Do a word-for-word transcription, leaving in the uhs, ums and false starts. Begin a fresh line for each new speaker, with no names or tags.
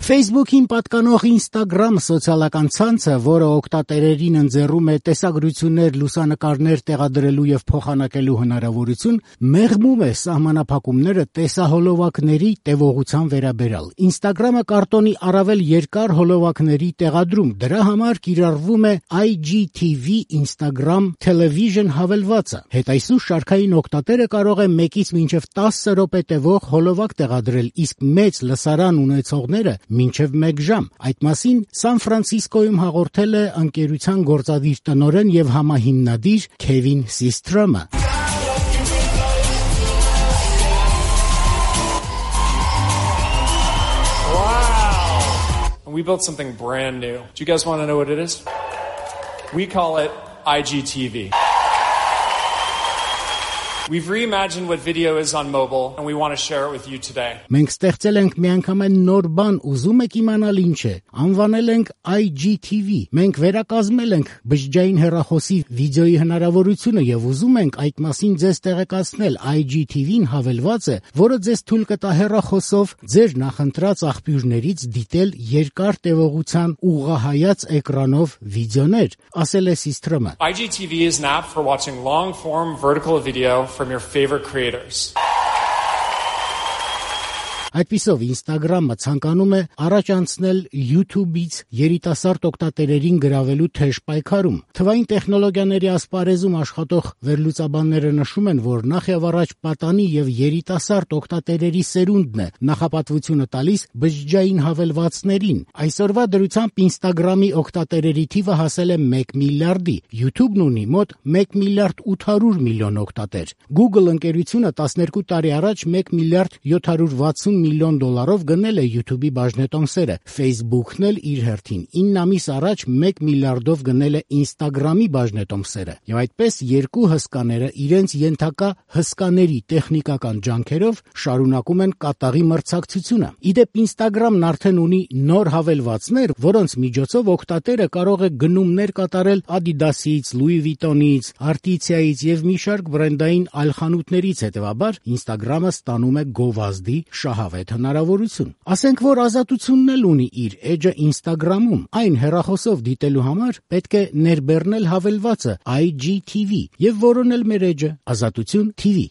Facebook-ին պատկանող Instagram սոցիալական ցանցը, որը օգտատերերին ընձեռում է տեսագրություններ, լուսանկարներ տեղադրելու եւ փոխանակելու հնարավորություն, մեղմում է սահմանափակումները տեսահոլովակների տևողության վերաբերյալ։ Instagram-ը կարտոնի առավել երկար հոլովակների տեղադրում, դրա համար կիրառվում է I G T V Instagram Television հավելվածը։ Հետայսուր շարքային օգտատերը կարող է մեկից մինչև տասը րոպե տևող հոլովակ տեղադրել, իսկ մեծ լսարան ունեցողները մինչև մեկ ժամ։ Այդ մասին Սան Ֆրանցիսկոյում հաղորդել է ընկերության գործադիր տնօրեն եւ համահիմնադիր Քևին Սիստրոմը։
We built something brand new. Do you guys want to know what it is? We call it I G T V. We've reimagined what video is on mobile and we want to share it with you today.
Մենք ստեղծել ենք միանգամայն նոր բան, ուզում եք իմանալ ինչ է։ Անվանել ենք I G T V։ Մենք վերակազմել ենք բջջային հեռախոսի վիդեոյի հնարավորությունը եւ ուզում ենք այդ մասին ձեզ տեղեկացնել։ I G T V-ն հավելված է, որը ձեզ թույլ կտա հեռախոսով ձեր նախընտրած աղբյուրներից դիտել երկար տևողության ուղղահայաց էկրանով վիդեոներ, ասել է Սիստրոմը։
I G T V is an app for watching long-form vertical video from your favorite creators.
Այդպիսով Instagram-ը ցանկանում է առաջ անցնել YouTube-ից երիտասարդ օգտատերերին գրավելու թեժ պայքարում։ Թվային տեխնոլոգիաների ասպարեզում աշխատող վերլուծաբանները նշում են, որ նախ եւ առաջ պատանի եւ երիտասարդ օգտատերերի սերունդն է նախապատվությունը տալիս բջջային հավելվածներին։ Այսօրվա դրությամբ Instagram-ի օգտատերերի թիվը հասել է մեկ միլիարդի, YouTube-ն ունի մոտ մեկ միլիարդ ութ հարյուր միլիոն օգտատեր։ Google ընկերությունը տասներկու տարի առաջ մեկ միլիարդ յոթ հարյուր վաթսուն միլիոն դոլարով գնել է YouTube-ի բաժնետոմսերը։ Facebook-ն էլ իր հերթին ինը ամիս առաջ մեկ միլիարդով գնել է Instagram-ի բաժնետոմսերը։ Եվ այդպես երկու հսկաները իրենց ենթակա հսկաների տեխնիկական ջանքերով շարունակում են կատաղի մրցակցությունը։ Իդեպ Instagram-ն արդեն ունի նոր հավելվածներ, որոնց միջոցով օգտատերը կարող է գնումներ կատարել Adidas-ից, Louis Vuitton-ից, Artesia-ից եւ մի շարք բրենդային այլ խանութներից, հետեւաբար Instagram-ը ստանում է գովազդի շահավետ հնարավորություն։ Ասենք, որ ազատությունն էլ ունի իր էջը Instagram-ում։ Այն հեռախոսով դիտելու համար պետք է ներբեռնել հավելվածը I G T V եւ որոնել մեր էջը Ազատություն T V։